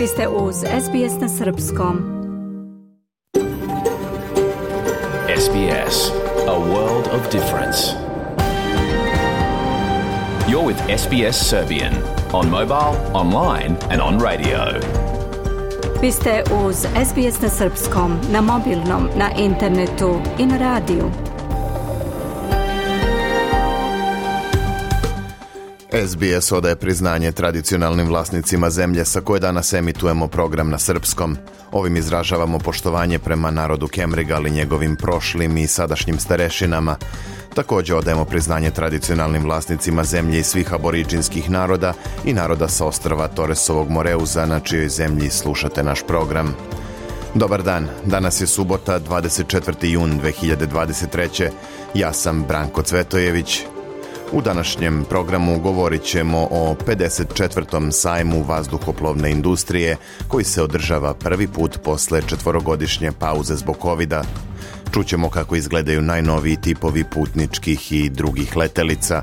Vi ste uz SBS na srpskom. SBS, a world of difference. You're with SBS Serbian on mobile, online and on radio. Vi ste uz SBS na srpskom, na mobilnom, na internetu i na radiju. SBS odaje priznanje tradicionalnim vlasnicima zemlje sa koje danas emitujemo program na srpskom. Ovim izražavamo poštovanje prema narodu Kemrigal i njegovim prošlim i sadašnjim starešinama. Također odajemo priznanje tradicionalnim vlasnicima zemlje i svih aboriđinskih naroda i naroda sa ostrva Torresovog Moreuza, na čijoj zemlji slušate naš program. Dobar dan, danas je subota, 24. jun 2023. Ja sam Branko Cvetojević. U današnjem programu govorit ćemo o 54. sajmu vazduhoplovne industrije koji se održava prvi put posle 4-godišnje pauze zbog covida. Čućemo kako izgledaju najnoviji tipovi putničkih i drugih letelica.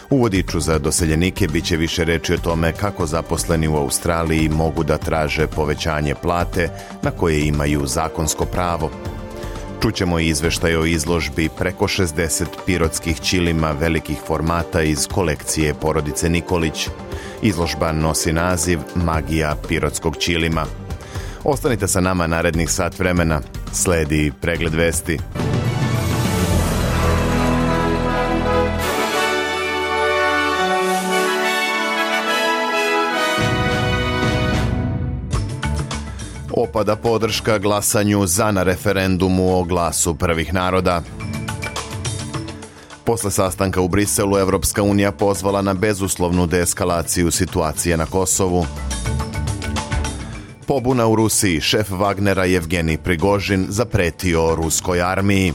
U vodiču za doseljenike bit će više reči o tome kako zaposleni u Australiji mogu da traže povećanje plate na koje imaju zakonsko pravo. Čućemo i izveštaj o izložbi preko 60 pirotskih ćilima velikih formata iz kolekcije porodice Nikolić. Izložba nosi naziv Magija pirotskog ćilima. Ostanite sa nama narednih sat vremena. Sledi pregled vesti. Opada podrška glasanju za na referendumu o glasu prvih naroda. Posle sastanka u Briselu, Evropska unija pozvala na bezuslovnu deeskalaciju situacije na Kosovu. Pobuna u Rusiji, šef Wagnera Jevgenij Prigožin zapretio ruskoj armiji.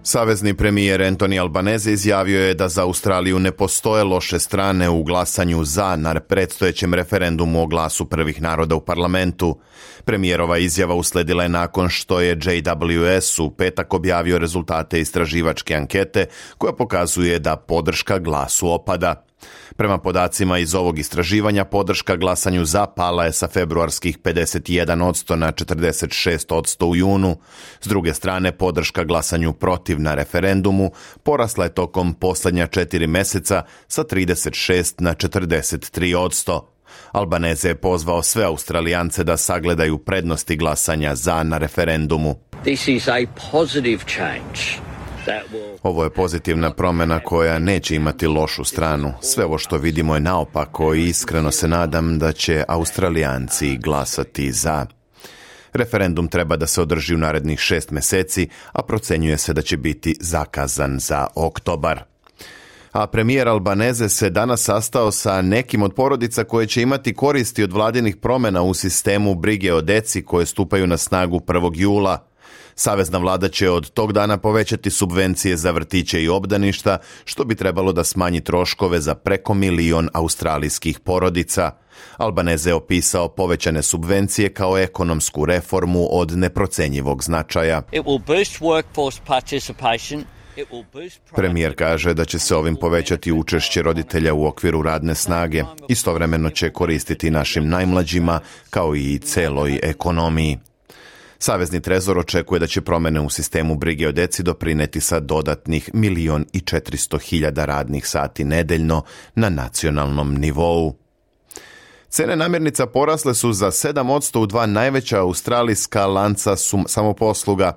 Savezni premijer Anthony Albanese izjavio je da za Australiju ne postoje loše strane u glasanju za na predstojećem referendumu o glasu prvih naroda u parlamentu. Premijerova izjava usledila je nakon što je JWS u petak objavio rezultate istraživačke ankete koja pokazuje da podrška glasu opada. Prema podacima iz ovog istraživanja, podrška glasanju za pala je sa februarskih 51% na 46% u junu. S druge strane, podrška glasanju protiv na referendumu porasla je tokom posljednja 4 meseca sa 36 na 43%. Albanese je pozvao sve Australijance da sagledaju prednosti glasanja za na referendumu. This is a positive change. Ovo je pozitivna promjena koja neće imati lošu stranu. Sve ovo što vidimo je naopako i iskreno se nadam da će Australijanci glasati za. Referendum treba da se održi u narednih 6 meseci, a procenjuje se da će biti zakazan za oktobar. A premijer Albanese se danas sastao sa nekim od porodica koje će imati koristi od vladinih promjena u sistemu brige o deci koje stupaju na snagu 1. jula. Savezna vlada će od tog dana povećati subvencije za vrtiće i obdaništa, što bi trebalo da smanji troškove za preko 1 milion australijskih porodica. Albanese je opisao povećane subvencije kao ekonomsku reformu od neprocenjivog značaja. Premijer kaže da će se ovim povećati učešće roditelja u okviru radne snage. Istovremeno će koristiti našim najmlađima kao i celoj ekonomiji. Savezni trezor očekuje da će promjene u sistemu brige o deci doprineti sa dodatnih 1.400.000 radnih sati nedeljno na nacionalnom nivou. Cene namirnica porasle su za 7% u 2 najveća australijska lanca samoposluga.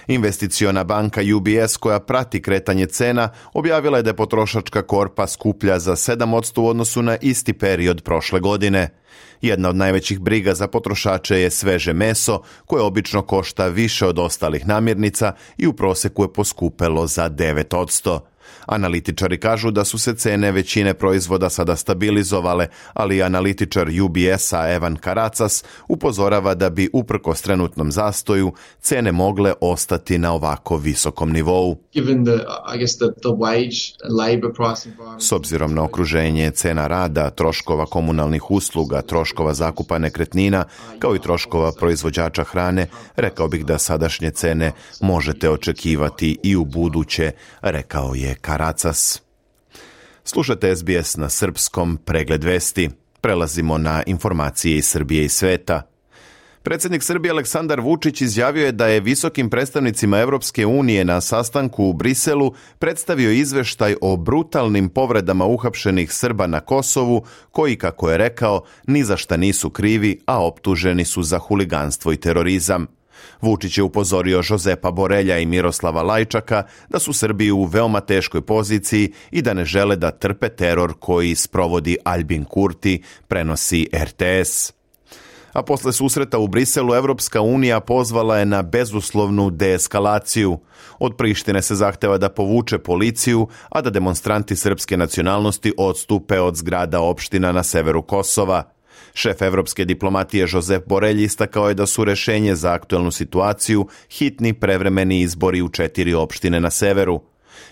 Investiciona banka UBS, koja prati kretanje cena, objavila je da je potrošačka korpa skuplja za 7% u odnosu na isti period prošle godine. Jedna od najvećih briga za potrošače je sveže meso, koje obično košta više od ostalih namirnica i u proseku je poskupelo za 9%. Analitičari kažu da su se cene većine proizvoda sada stabilizovale, ali analitičar UBS-a Evan Karacas upozorava da bi uprkos trenutnom zastoju cene mogle ostati na ovako visokom nivou. S obzirom na okruženje cena rada, troškova komunalnih usluga, troškova zakupa nekretnina, kao i troškova proizvođača hrane, rekao bih da sadašnje cene možete očekivati i u buduće, rekao je Karacas. Slušate SBS na srpskom, pregled vesti. Prelazimo na informacije iz Srbije i sveta. Predsjednik Srbije Aleksandar Vučić izjavio je da je visokim predstavnicima Europske unije na sastanku u Briselu predstavio izveštaj o brutalnim povredama uhapšenih Srba na Kosovu, koji, kako je rekao, ni za šta nisu krivi, a optuženi su za huliganstvo i terorizam. Vučić je upozorio Jozepa Borelja i Miroslava Lajčaka da su Srbi u veoma teškoj poziciji i da ne žele da trpe teror koji sprovodi Albin Kurti, prenosi RTS. A posle susreta u Briselu, Evropska unija pozvala je na bezuslovnu deeskalaciju. Od Prištine se zahteva da povuče policiju, a da demonstranti srpske nacionalnosti odstupe od zgrada opština na severu Kosova. Šef evropske diplomatije Josep Borelj istakao je da su rešenje za aktuelnu situaciju hitni prevremeni izbori u 4 opštine na severu.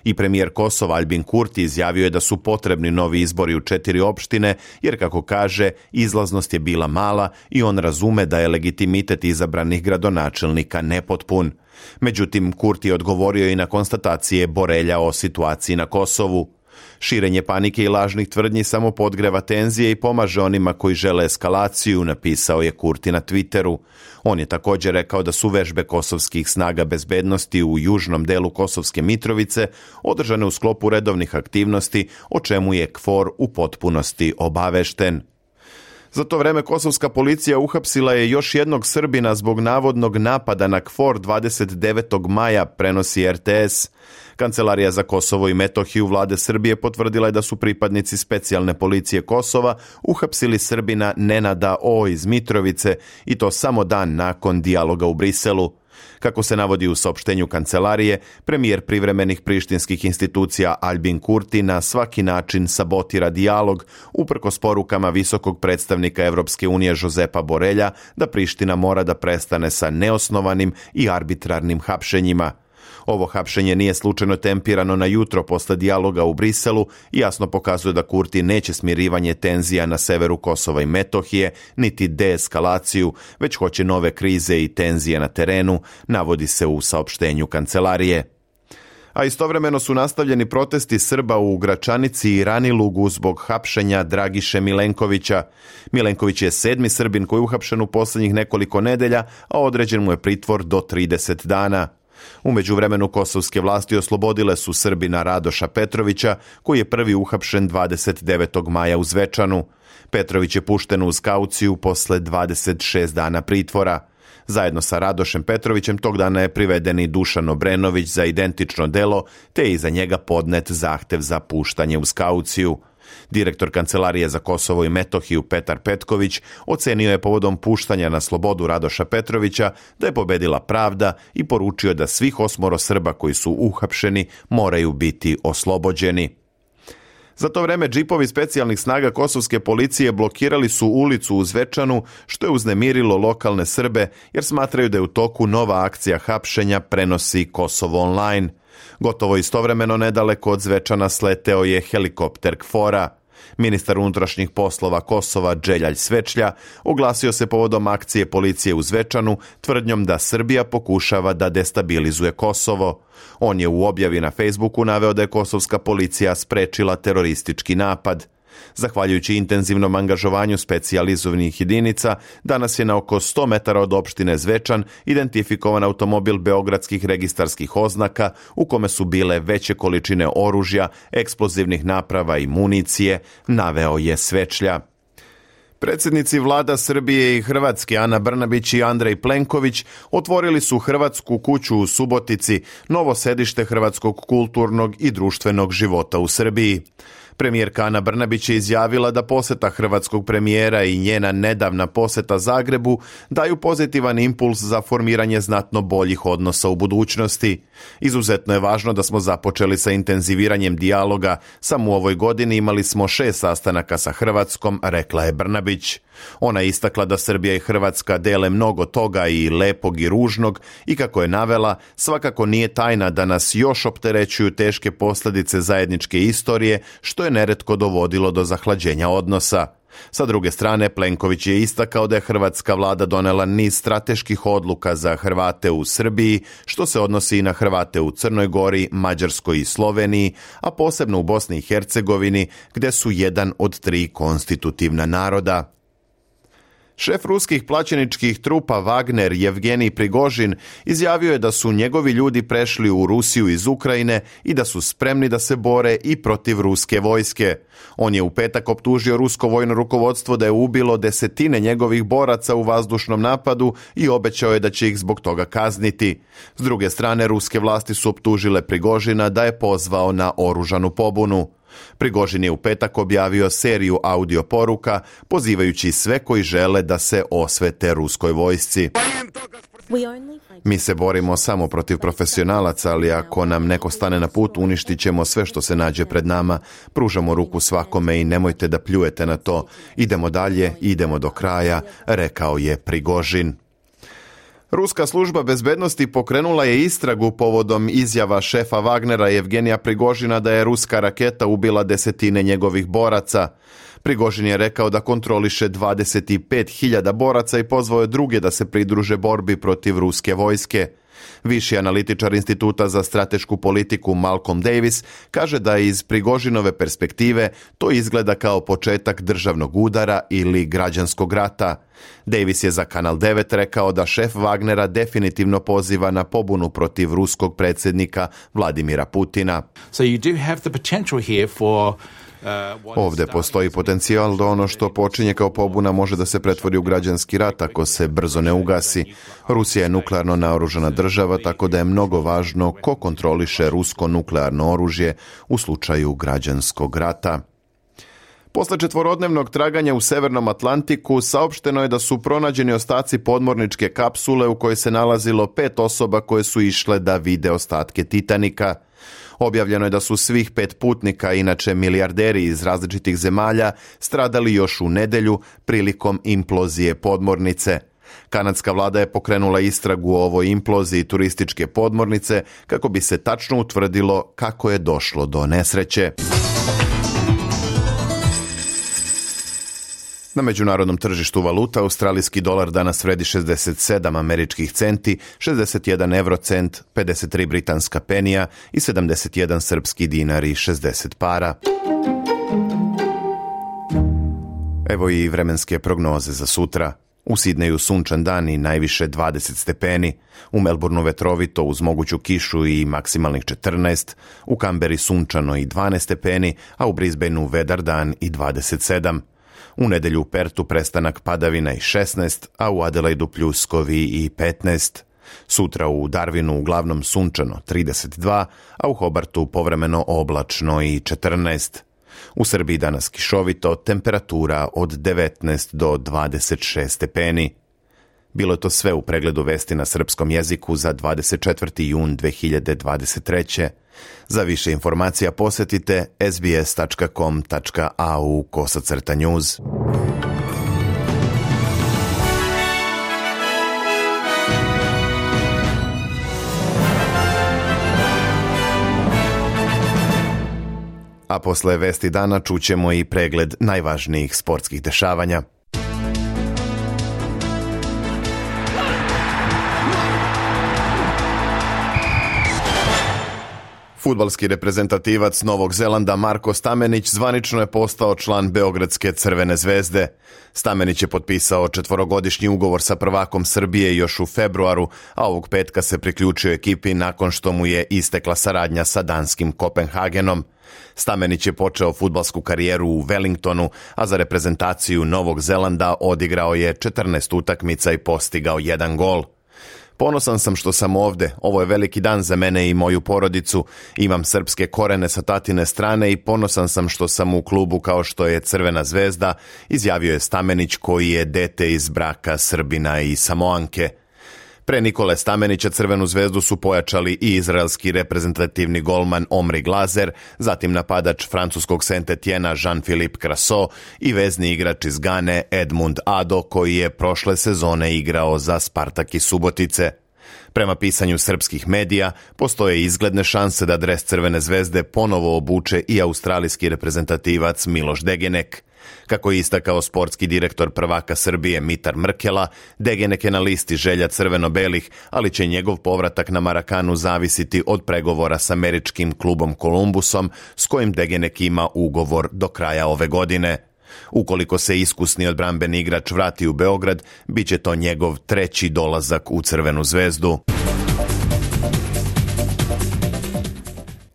I premijer Kosova Albin Kurti izjavio je da su potrebni novi izbori u 4 opštine, jer, kako kaže, izlaznost je bila mala i on razume da je legitimitet izabranih gradonačelnika nepotpun. Međutim, Kurti je odgovorio i na konstatacije Borelja o situaciji na Kosovu. Širenje panike i lažnih tvrdnji samo podgreva tenzije i pomaže onima koji žele eskalaciju, napisao je Kurti na Twitteru. On je također rekao da su vežbe kosovskih snaga bezbednosti u južnom delu Kosovske Mitrovice održane u sklopu redovnih aktivnosti, o čemu je KFOR u potpunosti obavešten. Za to vreme kosovska policija uhapsila je još jednog Srbina zbog navodnog napada na KFOR 29. maja, prenosi RTS. Kancelarija za Kosovo i Metohiju vlade Srbije potvrdila je da su pripadnici specijalne policije Kosova uhapsili Srbina Nenada O iz Mitrovice, i to samo dan nakon dijaloga u Briselu. Kako se navodi u saopštenju kancelarije, premijer privremenih prištinskih institucija Albin Kurti na svaki način sabotira dijalog, uprkos porukama visokog predstavnika Evropske unije Jozepa Borelja da Priština mora da prestane sa neosnovanim i arbitrarnim hapšenjima. Ovo hapšenje nije slučajno tempirano na jutro posle dijaloga u Briselu i jasno pokazuje da Kurti neće smirivanje tenzija na severu Kosova i Metohije, niti deeskalaciju, već hoće nove krize i tenzije na terenu, navodi se u saopštenju kancelarije. A istovremeno su nastavljeni protesti Srba u Gračanici i Ranilugu zbog hapšenja Dragiše Milenkovića. Milenković je 7. Srbin koji je uhapšen u posljednjih nekoliko nedelja, a određen mu je pritvor do 30 dana. U međuvremenu kosovske vlasti oslobodile su Srbina Radoša Petrovića, koji je prvi uhapšen 29. maja u Zvečanu. Petrović je pušten uz kauciju posle 26 dana pritvora. Zajedno sa Radošem Petrovićem tog dana je priveden i Dušan Obrenović za identično delo, te je iza njega podnet zahtev za puštanje uz kauciju. Direktor Kancelarije za Kosovo i Metohiju Petar Petković ocenio je povodom puštanja na slobodu Radoša Petrovića da je pobedila pravda i poručio da svih 8 Srba koji su uhapšeni moraju biti oslobođeni. Za to vreme džipovi specijalnih snaga kosovske policije blokirali su ulicu u Zvečanu, što je uznemirilo lokalne Srbe jer smatraju da je u toku nova akcija hapšenja, prenosi Kosovo online. Gotovo istovremeno nedaleko od Zvečana sleteo je helikopter KFOR-a. Ministar unutrašnjih poslova Kosova Dželjaj Svečlja oglasio se povodom akcije policije u Zvečanu tvrdnjom da Srbija pokušava da destabilizuje Kosovo. On je u objavi na Facebooku naveo da je kosovska policija sprečila teroristički napad. Zahvaljujući intenzivnom angažovanju specijalizovanih jedinica, danas je na oko 100 metara od opštine Zvečan identifikovan automobil beogradskih registarskih oznaka u kome su bile veće količine oružja, eksplozivnih naprava i municije, naveo je Svečlja. Predsjednici vlada Srbije i Hrvatske Ana Brnabić i Andrej Plenković otvorili su Hrvatsku kuću u Subotici, novo sedište hrvatskog kulturnog i društvenog života u Srbiji. Premijerka Ana Brnabić je izjavila da posjeta hrvatskog premijera i njena nedavna posjeta Zagrebu daju pozitivan impuls za formiranje znatno boljih odnosa u budućnosti. Izuzetno je važno da smo započeli sa intenziviranjem dijaloga. Samo u ovoj godini imali smo 6 sastanaka sa Hrvatskom, rekla je Brnabić. Ona je istakla da Srbija i Hrvatska dele mnogo toga i lepog i ružnog i kako je navela, svakako nije tajna da nas još opterećuju teške posljedice zajedničke istorije, što je neretko dovodilo do zahlađenja odnosa. Sa druge strane, Plenković je istakao da je hrvatska vlada donela niz strateških odluka za Hrvate u Srbiji, što se odnosi i na Hrvate u Crnoj Gori, Mađarskoj i Sloveniji, a posebno u Bosni i Hercegovini, gdje su jedan od 3 konstitutivna naroda. Šef ruskih plaćeničkih trupa Wagner, Jevgenij Prigožin, izjavio je da su njegovi ljudi prešli u Rusiju iz Ukrajine i da su spremni da se bore i protiv ruske vojske. On je u petak optužio rusko vojno rukovodstvo da je ubilo desetine njegovih boraca u vazdušnom napadu i obećao je da će ih zbog toga kazniti. S druge strane, ruske vlasti su optužile Prigožina da je pozvao na oružanu pobunu. Prigožin je u petak objavio seriju audio poruka pozivajući sve koji žele da se osvete ruskoj vojsci. Mi se borimo samo protiv profesionalaca, ali ako nam neko stane na put, uništit ćemo sve što se nađe pred nama. Pružamo ruku svakome i nemojte da pljujete na to. Idemo dalje, idemo do kraja, rekao je Prigožin. Ruska služba bezbednosti pokrenula je istragu povodom izjava šefa Wagnera Jevgenija Prigožina da je ruska raketa ubila desetine njegovih boraca. Prigožin je rekao da kontroliše 25.000 boraca i pozvao je druge da se pridruže borbi protiv ruske vojske. Viši analitičar Instituta za stratešku politiku Malcolm Davis kaže da iz Prigožinove perspektive to izgleda kao početak državnog udara ili građanskog rata. Davis je za Kanal 9 rekao da šef Wagnera definitivno poziva na pobunu protiv ruskog predsjednika Vladimira Putina. So you do have the potential here for Ovdje postoji potencijal da ono što počinje kao pobuna može da se pretvori u građanski rat ako se brzo ne ugasi. Rusija je nuklearno naoružana država, tako da je mnogo važno ko kontroliše rusko nuklearno oružje u slučaju građanskog rata. Posle 4-dnevnog traganja u Severnom Atlantiku saopšteno je da su pronađeni ostaci podmorničke kapsule u kojoj se nalazilo 5 osoba koje su išle da vide ostatke Titanika. Objavljeno je da su svih 5 putnika, inače milijarderi iz različitih zemalja, stradali još u nedjelju prilikom implozije podmornice. Kanadska vlada je pokrenula istragu o ovoj imploziji turističke podmornice kako bi se tačno utvrdilo kako je došlo do nesreće. Na međunarodnom tržištu valuta australijski dolar danas vredi 67 američkih centi, 61 eurocent, 53 britanska penija i 71 srpski dinar i 60 para. Evo i vremenske prognoze za sutra. U Sidneju sunčan dan i najviše 20 stepeni, u Melbourneu vetrovito uz moguću kišu i maksimalnih 14, u Kamberi sunčano i 12 stepeni, a u Brisbaneu vedar dan i 27. U nedjelju u Pertu prestanak padavina i 16, a u Adelaidu pljuskovi i 15. Sutra u Darwinu uglavnom sunčano 32, a u Hobartu povremeno oblačno i 14. U Srbiji danas kišovito, temperatura od 19 do 26 stepeni. Bilo je to sve u pregledu vesti na srpskom jeziku za 24. jun 2023. Za više informacija posjetite sbs.com.au/news. A posle vesti dana čućemo i pregled najvažnijih sportskih dešavanja. Fudbalski reprezentativac Novog Zelanda Marko Stamenić zvanično je postao član Beogradske Crvene zvezde. Stamenić je potpisao 4-godišnji ugovor sa prvakom Srbije još u februaru, a ovog petka se priključio ekipi nakon što mu je istekla saradnja sa danskim Kopenhagenom. Stamenić je počeo fudbalsku karijeru u Wellingtonu, a za reprezentaciju Novog Zelanda odigrao je 14 utakmica i postigao 1 gol. Ponosan sam što sam ovde, ovo je veliki dan za mene i moju porodicu, imam srpske korene sa tatine strane i ponosan sam što sam u klubu kao što je Crvena zvezda, izjavio je Stamenić koji je dete iz braka Srbina i Samoanke. Pre Nikole Stamenića Crvenu zvezdu su pojačali i izraelski reprezentativni golman Omri Glazer, zatim napadač francuskog Saint-Etienne Jean-Philippe Crasso i vezni igrač iz Gane Edmund Ado koji je prošle sezone igrao za Spartak iz Subotice. Prema pisanju srpskih medija, postoje izgledne šanse da dres Crvene zvezde ponovo obuče i australijski reprezentativac Miloš Degenek. Kako je istakao sportski direktor prvaka Srbije Mitar Mrkela, Degenek je na listi želja crveno-belih, ali će njegov povratak na Marakanu zavisiti od pregovora s američkim klubom Columbusom, s kojim Degenek ima ugovor do kraja ove godine. Ukoliko se iskusni odbrambeni igrač vrati u Beograd, bit će to njegov treći dolazak u Crvenu zvezdu.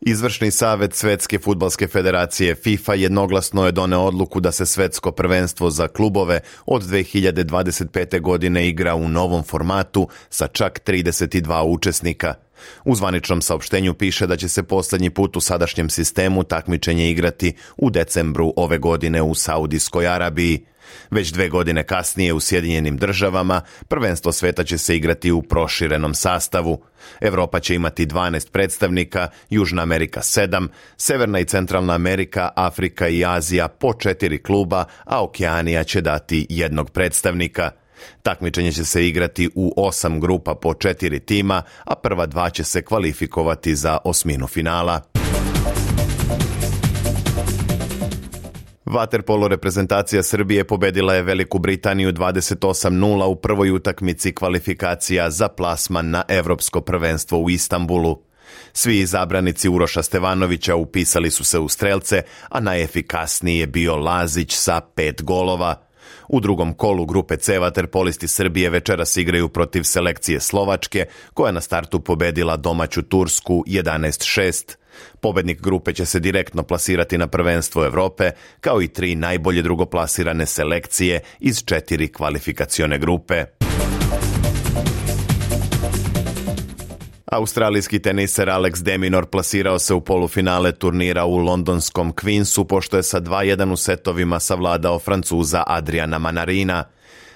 Izvršni savet Svetske fudbalske federacije FIFA jednoglasno je doneo odluku da se svetsko prvenstvo za klubove od 2025. godine igra u novom formatu sa čak 32 učesnika. U zvaničnom saopštenju piše da će se poslednji put u sadašnjem sistemu takmičenje igrati u decembru ove godine u Saudijskoj Arabiji. Već 2 godine kasnije u Sjedinjenim državama prvenstvo sveta će se igrati u proširenom sastavu. Evropa će imati 12 predstavnika, Južna Amerika 7, Severna i Centralna Amerika, Afrika i Azija po 4 kluba, a Okeanija će dati 1 predstavnika. Takmičenje će se igrati u 8 grupa po 4 tima, a prva 2 će se kvalifikovati za osminu finala. Vaterpolo reprezentacija Srbije pobedila je Veliku Britaniju 28:0 u prvoj utakmici kvalifikacija za plasman na Evropsko prvenstvo u Istanbulu. Svi izabranici Uroša Stevanovića upisali su se u strelce, a najefikasniji je bio Lazić sa 5 golova. U drugom kolu grupe C vaterpolisti Srbije večeras igraju protiv selekcije Slovačke, koja na startu pobedila domaću Tursku 11:6. Pobednik grupe će se direktno plasirati na prvenstvo Evrope, kao i 3 najbolje drugoplasirane selekcije iz 4 kvalifikacione grupe. Australijski teniser Alex de Minaur plasirao se u polufinale turnira u londonskom Queensu, pošto je sa 2:1 u setovima savladao Francuza Adriana Manarina.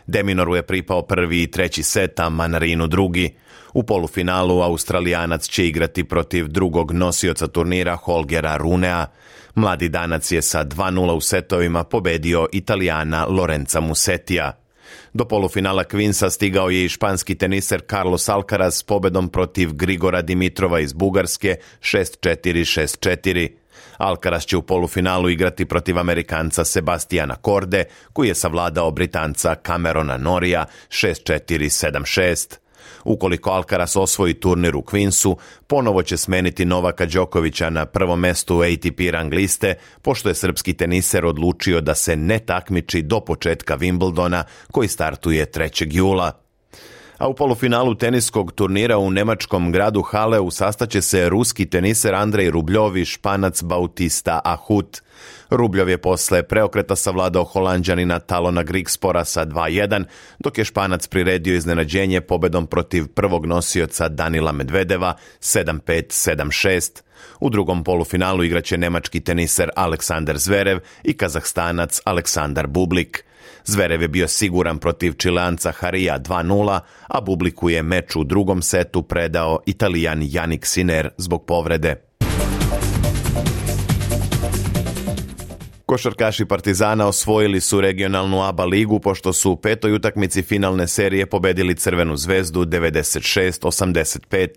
De Minauru je pripao prvi i treći set, a Manarinu drugi. U polufinalu Australijanac će igrati protiv drugog nosioca turnira Holgera Runea. Mladi Danac je sa 2:0 u setovima pobedio Italijana Lorenza Musetija. Do polufinala Queensa stigao je i španski teniser Carlos Alcaraz s pobedom protiv Grigora Dimitrova iz Bugarske 6:4, 6:4. Alcaraz će u polufinalu igrati protiv Amerikanca Sebastiana Korde, koji je savladao Britanca Camerona Norija 6:4, 7:6. Ukoliko Alcaraz osvoji turnir u Queensu, ponovo će smeniti Novaka Đokovića na prvom mestu ATP rang liste, pošto je srpski teniser odlučio da se ne takmiči do početka Wimbledona, koji startuje 3. jula. A u polufinalu teniskog turnira u nemačkom gradu Haleu sastaće se ruski teniser Andrej Rubljov i Španac Bautista Agut. Rubljov je posle preokreta savladao Holanđanina Talona Grigspora sa 2:1, dok je Španac priredio iznenađenje pobedom protiv prvog nosioca Danila Medvedeva 7:5, 7:6. U drugom polufinalu igraće nemački teniser Aleksandar Zverev i Kazahstanac Aleksandar Bublik. Zverev je bio siguran protiv Čileanca Harija 2:0, a Bubliku je meč u drugom setu predao Italijan Jannik Sinner zbog povrede. Košarkaši Partizana osvojili su regionalnu ABA ligu pošto su u 5. utakmici finalne serije pobedili Crvenu zvezdu 96-85.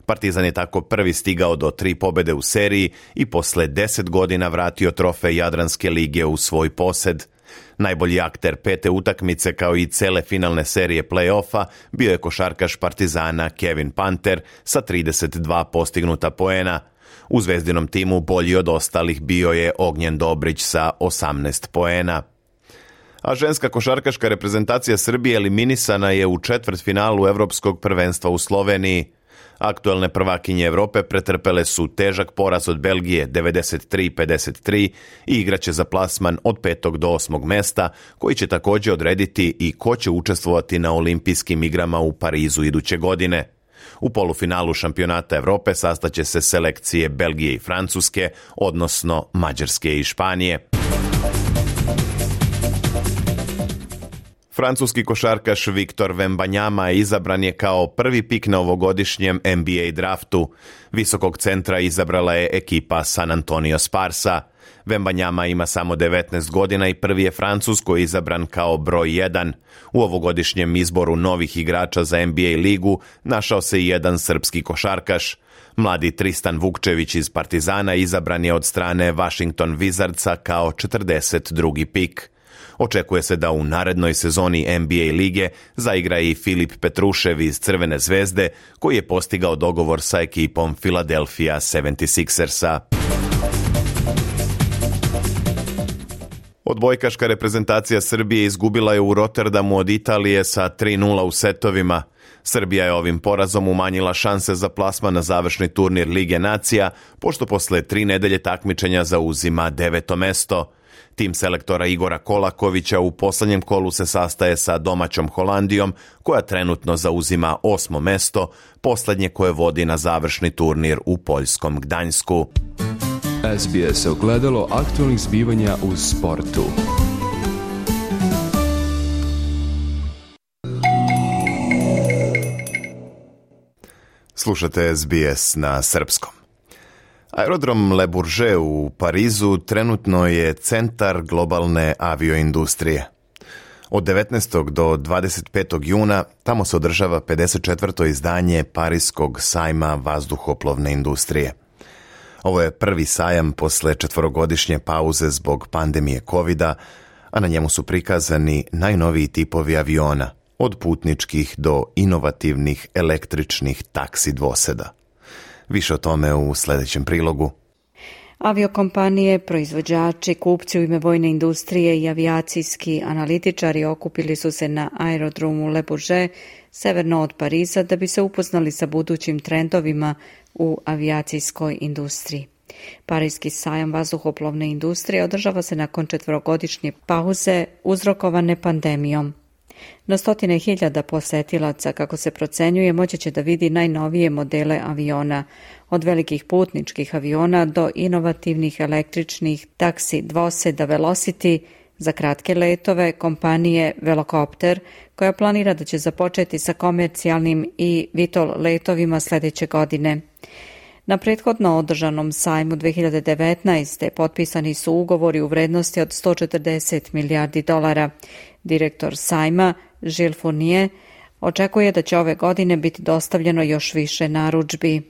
Partizan je tako prvi stigao do 3 pobede u seriji i posle 10 godina vratio trofej Jadranske lige u svoj posed. Najbolji akter 5. utakmice kao i cele finalne serije play-offa bio je košarkaš Partizana Kevin Panter sa 32 postignuta poena. U zvezdinom timu bolji od ostalih bio je Ognjen Dobrić sa 18 poena. A ženska košarkaška reprezentacija Srbije eliminisana je u četvrtfinalu Evropskog prvenstva u Sloveniji. Aktuelne prvakinje Evrope pretrpele su težak poraz od Belgije 93-53 i igraće za plasman od 5. do 8. mesta, koji će također odrediti i ko će učestvovati na olimpijskim igrama u Parizu iduće godine. U polufinalu šampionata Evrope sastaće se selekcije Belgije i Francuske, odnosno Mađarske i Španije. Francuski košarkaš Victor Wembanyama izabran je kao prvi pik na ovogodišnjem NBA draftu. Visokog centra izabrala je ekipa San Antonio Sparsa. Wembanyama ima samo 19 godina i prvi je Francuz koji je izabran kao broj 1. U ovogodišnjem izboru novih igrača za NBA ligu našao se i jedan srpski košarkaš. Mladi Tristan Vukčević iz Partizana izabran je od strane Washington Wizardsa kao 42. pik. Očekuje se da u narednoj sezoni NBA lige zaigra i Filip Petrušev iz Crvene zvezde, koji je postigao dogovor sa ekipom Philadelphia 76ersa. Odbojkaška reprezentacija Srbije izgubila je u Rotterdamu od Italije sa 3:0 u setovima. Srbija je ovim porazom umanjila šanse za plasman na završni turnir Lige nacija, pošto posle 3 nedelje takmičenja zauzima 9. mesto. Tim selektora Igora Kolakovića u posljednjem kolu se sastaje sa domaćom Holandijom, koja trenutno zauzima 8. mesto, posljednje koje vodi na završni turnir u poljskom Gdańsku. SBS ogledalo aktualnih zbivanja u sportu. Slušate SBS na srpskom. Aerodrom Le Bourget u Parizu trenutno je centar globalne avioindustrije. Od 19. do 25. juna tamo se održava 54. izdanje Parijskog sajma vazduhoplovne industrije. Ovo je prvi sajam posle 4-godišnje pauze zbog pandemije covida, a na njemu su prikazani najnoviji tipovi aviona, od putničkih do inovativnih električnih taksi dvoseda. Više o tome u sljedećem prilogu. Aviokompanije, proizvođači, kupci u ime vojne industrije i avijacijski analitičari okupili su se na aerodromu Le Bourget, severno od Pariza, da bi se upoznali sa budućim trendovima u avijacijskoj industriji. Parijski sajam vazduhoplovne industrije održava se nakon 4-godišnje pauze uzrokovane pandemijom. Na stotine hiljada posetilaca, kako se procenjuje, moći će da vidi najnovije modele aviona, od velikih putničkih aviona do inovativnih električnih taksi dvoseda Velocity za kratke letove kompanije Velocopter, koja planira da će započeti sa komercijalnim i VTOL letovima sljedeće godine. Na prethodno održanom sajmu 2019. potpisani su ugovori u vrednosti od $140 milijardi. Direktor sajma, Gilles Fournier, očekuje da će ove godine biti dostavljeno još više narudžbi.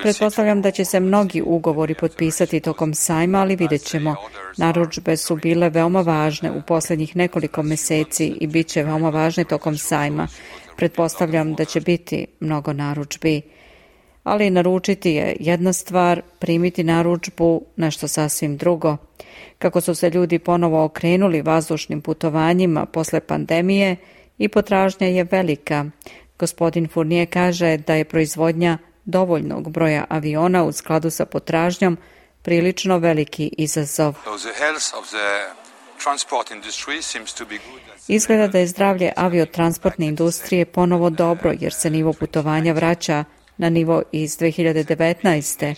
Pretpostavljam da će se mnogi ugovori potpisati tokom sajma, ali vidjet ćemo. Narudžbe su bile veoma važne u posljednjih nekoliko mjeseci i bit će veoma važne tokom sajma. Pretpostavljam da će biti mnogo narudžbi. Ali naručiti je jedna stvar, primiti narudžbu nešto sasvim drugo. Kako su se ljudi ponovo okrenuli vazdušnim putovanjima posle pandemije, i potražnja je velika. Gospodin Fournier kaže da je proizvodnja dovoljnog broja aviona u skladu sa potražnjom prilično veliki izazov. Izgleda da je zdravlje aviotransportne industrije ponovo dobro, jer se nivo putovanja vraća na nivo iz 2019.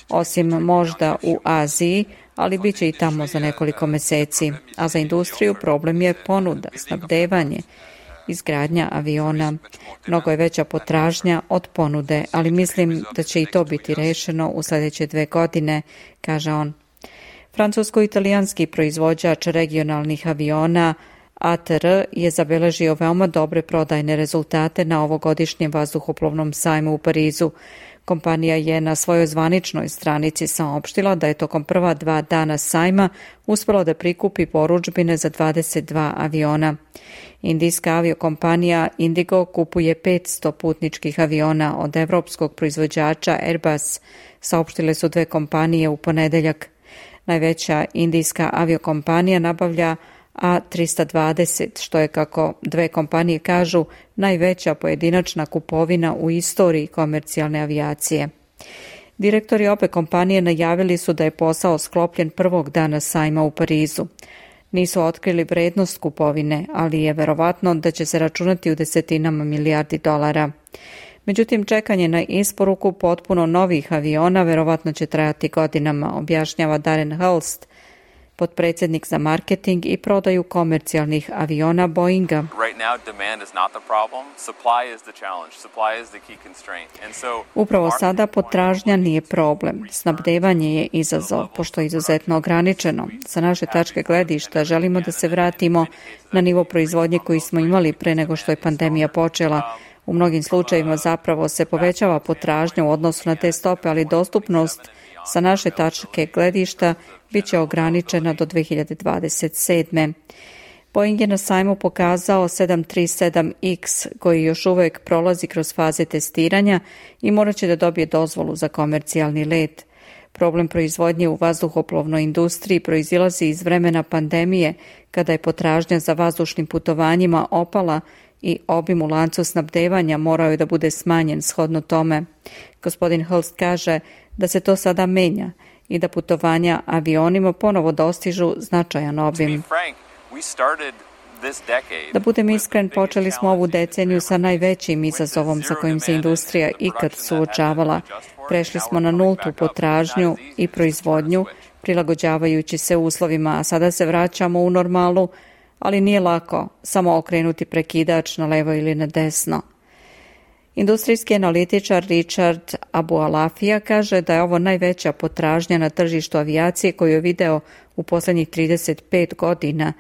Osim možda u Aziji, ali bit će i tamo za nekoliko mjeseci. A za industriju problem je ponuda, snabdevanje, izgradnja aviona. Mnogo je veća potražnja od ponude, ali mislim da će i to biti rešeno u sljedeće 2 godine, kaže on. Francusko-italijanski proizvođač regionalnih aviona ATR je zabeležio veoma dobre prodajne rezultate na ovogodišnjem vazduhoplovnom sajmu u Parizu. Kompanija je na svojoj zvaničnoj stranici saopštila da je tokom prva 2 dana sajma uspjela da prikupi porudžbine za 22 aviona. Indijska aviokompanija Indigo kupuje 500 putničkih aviona od evropskog proizvođača Airbus, saopštile su 2 kompanije u ponedeljak. Najveća indijska aviokompanija nabavlja A320, što je, kako dve kompanije kažu, najveća pojedinačna kupovina u istoriji komercijalne avijacije. Direktori obe kompanije najavili su da je posao sklopljen prvog dana sajma u Parizu. Nisu otkrili vrednost kupovine, ali je verovatno da će se računati u desetinama milijardi dolara. Međutim, čekanje na isporuku potpuno novih aviona verovatno će trajati godinama, objašnjava Darren Hulst, potpredsjednik za marketing i prodaju komercijalnih aviona Boeinga. Upravo sada potražnja nije problem. Snabdevanje je izazov, pošto je izuzetno ograničeno. Sa naše tačke gledišta želimo da se vratimo na nivo proizvodnje koji smo imali pre nego što je pandemija počela. U mnogim slučajevima zapravo se povećava potražnja u odnosu na te stope, ali dostupnost sa naše tačke gledišta bit će ograničena do 2027. Boeing je na sajmu pokazao 737X koji još uvijek prolazi kroz faze testiranja i morat će da dobije dozvolu za komercijalni let. Problem proizvodnje u vazduhoplovnoj industriji proizilazi iz vremena pandemije, kada je potražnja za vazdušnim putovanjima opala i obim u lancu snabdevanja morao je da bude smanjen shodno tome. Gospodin Hulst kaže da se to sada menja i da putovanja avionima ponovo dostižu značajan obim. Da budem iskren, počeli smo ovu deceniju sa najvećim izazovom sa kojim se industrija ikad suočavala. Prešli smo na nultu potražnju i proizvodnju, prilagođavajući se uslovima, a sada se vraćamo u normalu, ali nije lako samo okrenuti prekidač na levo ili na desno. Industrijski analitičar Richard Abualafija kaže da je ovo najveća potražnja na tržištu avijacije koju je video u posljednjih 35 godina,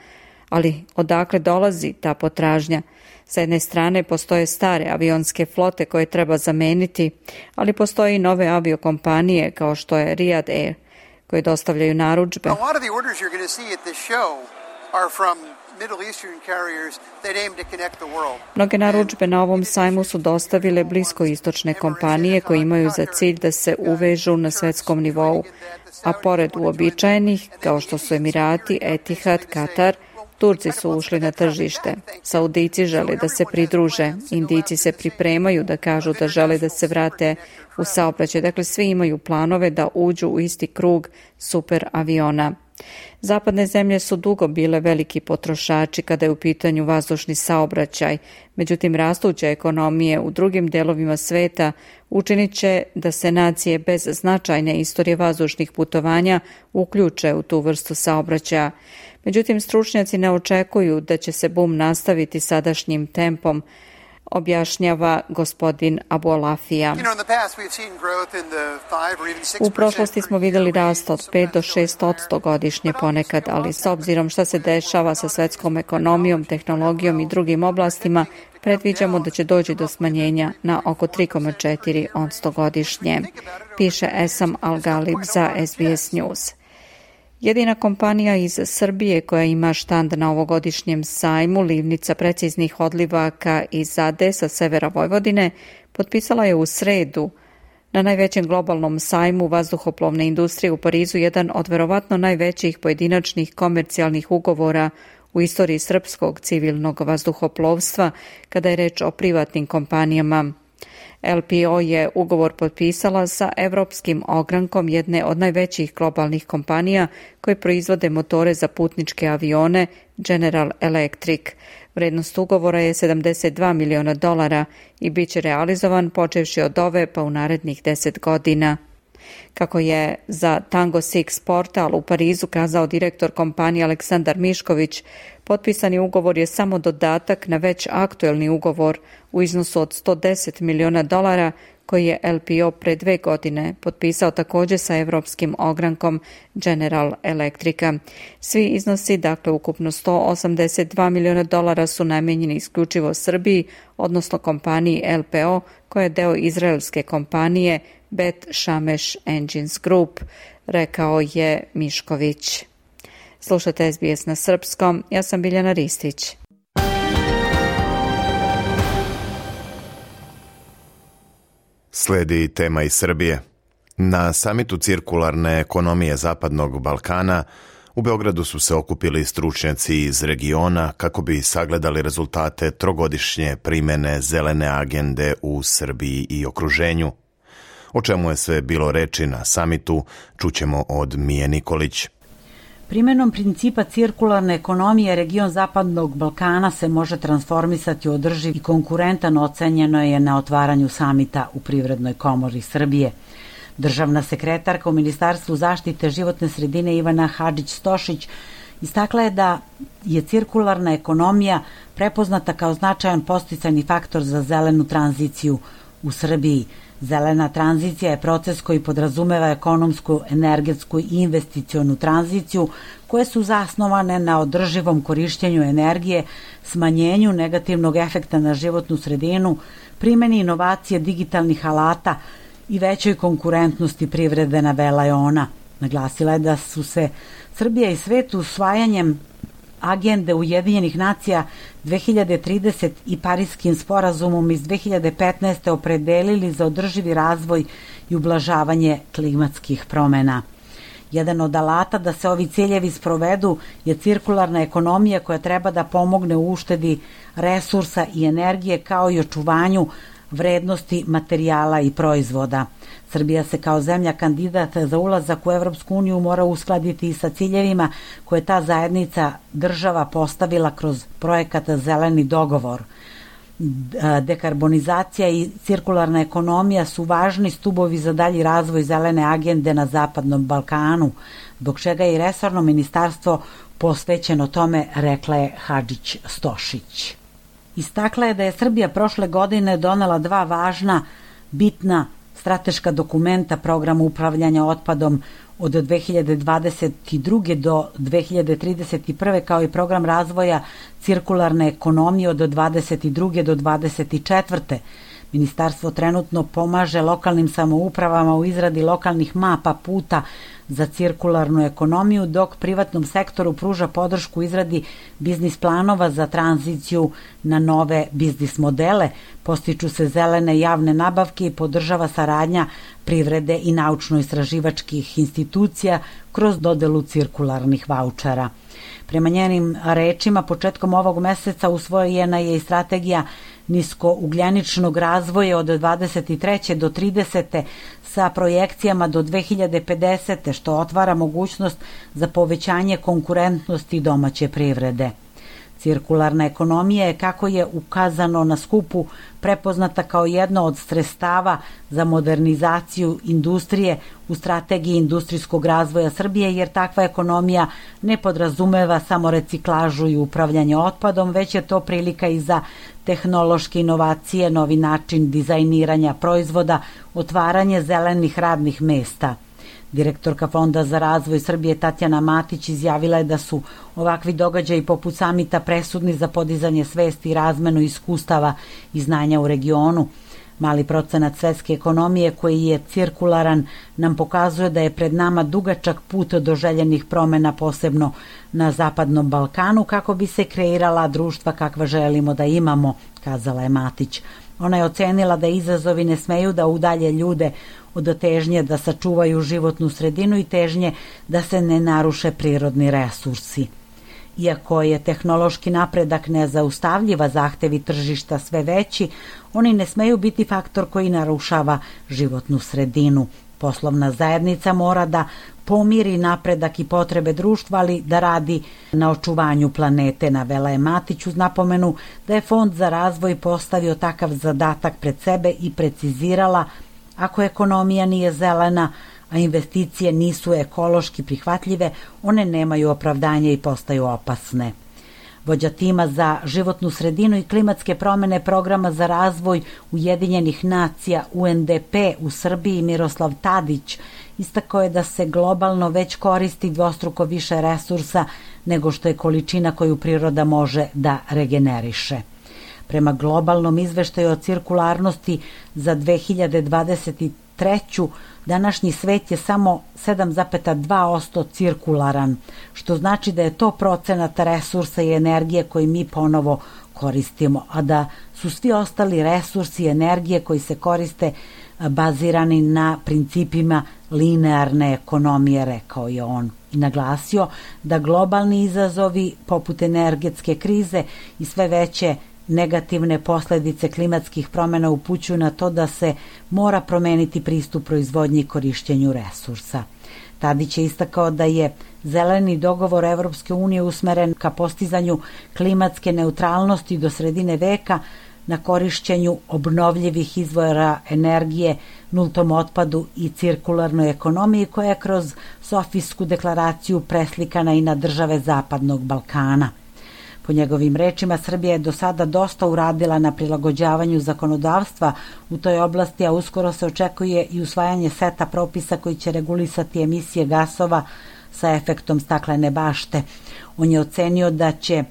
ali odakle dolazi ta potražnja? Sa jedne strane postoje stare avionske flote koje treba zameniti, ali postoje i nove aviokompanije kao što je Riyadh Air koje dostavljaju narudžbe. Mnoge narudžbe na ovom sajmu su dostavile bliskoistočne kompanije koje imaju za cilj da se uvežu na svetskom nivou, a pored uobičajenih, kao što su Emirati, Etihad, Katar, Turci su ušli na tržište. Saudici žele da se pridruže, Indijci se pripremaju da kažu da žele da se vrate u saobraćaj. Dakle, svi imaju planove da uđu u isti krug super aviona. Zapadne zemlje su dugo bile veliki potrošači kada je u pitanju vazdušni saobraćaj, međutim rastuće ekonomije u drugim delovima sveta učinit će da se nacije bez značajne istorije vazdušnih putovanja uključe u tu vrstu saobraćaja. Međutim, stručnjaci ne očekuju da će se bum nastaviti sadašnjim tempom, objašnjava gospodin Abualafija. U prošlosti smo vidjeli rast od 5 do 6% godišnje ponekad, ali s obzirom šta se dešava sa svetskom ekonomijom, tehnologijom i drugim oblastima, predviđamo da će doći do smanjenja na oko 3,4% godišnje, piše Esam Al-Galib za SBS News. Jedina kompanija iz Srbije koja ima štand na ovogodišnjem sajmu, Livnica preciznih odlivaka iz Ade sa severa Vojvodine, potpisala je u sredu na najvećem globalnom sajmu vazduhoplovne industrije u Parizu jedan od verovatno najvećih pojedinačnih komercijalnih ugovora u istoriji srpskog civilnog vazduhoplovstva kada je reč o privatnim kompanijama. LPO je ugovor potpisala sa evropskim ogrankom jedne od najvećih globalnih kompanija koje proizvode motore za putničke avione, General Electric. Vrednost ugovora je $72 miliona i bit će realizovan počevši od ove pa u narednih 10 godina. Kako je za Tango Six portal u Parizu kazao direktor kompanije Aleksandar Mišković, potpisani ugovor je samo dodatak na već aktuelni ugovor u iznosu od $110 miliona koji je LPO pre 2 godine potpisao također sa evropskim ogrankom General Electrica. Svi iznosi, dakle ukupno $182 miliona, su namijenjeni isključivo Srbiji, odnosno kompaniji LPO, koja je deo izraelske kompanije Bet Shemesh Engines Group, rekao je Mišković. Slušate SBS na srpskom, ja sam Biljana Ristić. Slijedi tema iz Srbije. Na samitu cirkularne ekonomije Zapadnog Balkana U Beogradu su se okupili stručnjaci iz regiona kako bi sagledali rezultate trogodišnje primene zelene agende u Srbiji i okruženju. O čemu je sve bilo reči na samitu, čućemo od Mije Nikolić. Primenom principa cirkularne ekonomije region Zapadnog Balkana se može transformisati u održiv i konkurentan, ocenjeno je na otvaranju samita u Privrednoj komori Srbije. Državna sekretarka u Ministarstvu zaštite životne sredine Ivana Hadžić-Stošić istakla je da je cirkularna ekonomija prepoznata kao značajan podsticajni faktor za zelenu tranziciju u Srbiji. Zelena tranzicija je proces koji podrazumeva ekonomsku, energetsku i investicionu tranziciju koje su zasnovane na održivom korišćenju energije, smanjenju negativnog efekta na životnu sredinu, primeni inovacije digitalnih alata i većoj konkurentnosti privrede, navela je ona. Naglasila je da su se Srbija i svet usvajanjem agende Ujedinjenih nacija 2030 i Pariskim sporazumom iz 2015. opredelili za održivi razvoj i ublažavanje klimatskih promena. Jedan od alata da se ovi ciljevi sprovedu je cirkularna ekonomija koja treba da pomogne u uštedi resursa i energije kao i očuvanju vrednosti materijala i proizvoda. Srbija se kao zemlja kandidat za ulazak u Evropsku uniju mora uskladiti i sa ciljevima koje ta zajednica država postavila kroz projekat Zeleni dogovor. Dekarbonizacija i cirkularna ekonomija su važni stubovi za dalji razvoj zelene agende na Zapadnom Balkanu, zbog čega je i resorno ministarstvo posvećeno tome, rekla je Hadžić-Stošić. Istakla je da je Srbija prošle godine donela 2 važna, bitna strateška dokumenta programa upravljanja otpadom od 2022. do 2031. kao i program razvoja cirkularne ekonomije od 2022. do 2024. Ministarstvo trenutno pomaže lokalnim samoupravama u izradi lokalnih mapa puta za cirkularnu ekonomiju, dok privatnom sektoru pruža podršku izradi biznis planova za tranziciju na nove biznis modele, postiču se zelene javne nabavke i podržava saradnja privrede i naučno-istraživačkih institucija kroz dodelu cirkularnih vaučera. Prema njenim rečima, početkom ovog meseca usvojena je i strategija niskougljeničnog razvoja od 23. do 30. sa projekcijama do 2050. što otvara mogućnost za povećanje konkurentnosti domaće privrede. Cirkularna ekonomija je, kako je ukazano na skupu, prepoznata kao jedno od sredstava za modernizaciju industrije u strategiji industrijskog razvoja Srbije, jer takva ekonomija ne podrazumeva samo reciklažu i upravljanje otpadom, već je to prilika i za tehnološke inovacije, novi način dizajniranja proizvoda, otvaranje zelenih radnih mesta. Direktorka Fonda za razvoj Srbije Tatjana Matić izjavila je da su ovakvi događaji poput samita presudni za podizanje svesti i razmenu iskustava i znanja u regionu. Mali procenat svetske ekonomije koji je cirkularan nam pokazuje da je pred nama dugačak put do željenih promena, posebno na Zapadnom Balkanu, kako bi se kreirala društva kakva želimo da imamo, kazala je Matić. Ona je ocenila da izazovi ne smeju da udalje ljude od težnje da sačuvaju životnu sredinu i težnje da se ne naruše prirodni resursi. Iako je tehnološki napredak nezaustavljiva, zahtevi tržišta sve veći, oni ne smeju biti faktor koji narušava životnu sredinu. Poslovna zajednica mora da pomiri napredak i potrebe društva, ali da radi na očuvanju planete, navela je Matić uz napomenu da je Fond za razvoj postavio takav zadatak pred sebe i precizirala: ako ekonomija nije zelena, a investicije nisu ekološki prihvatljive, one nemaju opravdanje i postaju opasne. Vođa tima za životnu sredinu i klimatske promene programa za razvoj Ujedinjenih nacija UNDP u Srbiji Miroslav Tadić istakao je da se globalno već koristi dvostruko više resursa nego što je količina koju priroda može da regeneriše. Prema globalnom izveštaju o cirkularnosti za 2023. današnji svet je samo 7,2% cirkularan, što znači da je to procenat resursa i energije koji mi ponovo koristimo, a da su svi ostali resursi i energije koji se koriste bazirani na principima linearne ekonomije, rekao je on. I naglasio da globalni izazovi poput energetske krize i sve veće negativne posledice klimatskih promjena upućuju na to da se mora promeniti pristup proizvodnji i korišćenju resursa. Tadić je istakao da je zeleni dogovor Evropske unije usmeren ka postizanju klimatske neutralnosti do sredine veka, na korišćenju obnovljivih izvora energije, nultom otpadu i cirkularnoj ekonomiji koja je kroz Sofijsku deklaraciju preslikana i na države Zapadnog Balkana. Po njegovim rečima, Srbija je do sada dosta uradila na prilagođavanju zakonodavstva u toj oblasti, a uskoro se očekuje i usvajanje seta propisa koji će regulisati emisije gasova sa efektom staklene bašte. On je ocenio da će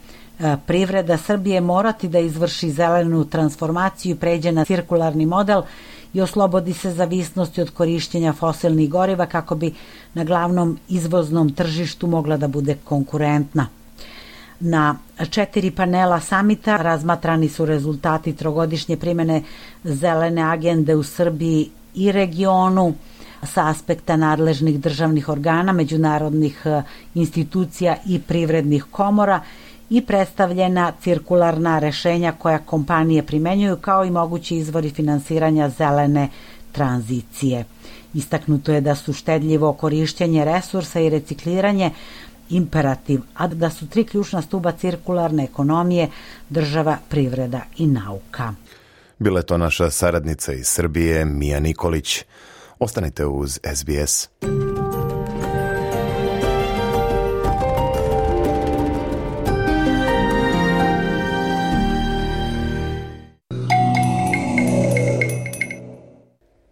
privreda Srbije morati da izvrši zelenu transformaciju i pređe na cirkularni model i oslobodi se zavisnosti od korišćenja fosilnih goriva kako bi na glavnom izvoznom tržištu mogla da bude konkurentna. Na 4 panela samita razmatrani su rezultati trogodišnje primjene zelene agende u Srbiji i regionu sa aspekta nadležnih državnih organa, međunarodnih institucija i privrednih komora i predstavljena cirkularna rešenja koja kompanije primenjuju kao i mogući izvori finansiranja zelene tranzicije. Istaknuto je da su štedljivo korišćenje resursa i recikliranje imperativ, a da su 3 ključna stuba cirkularne ekonomije država, privreda i nauka. Bila je to naša saradnica iz Srbije, Mija Nikolić. Ostanite uz SBS.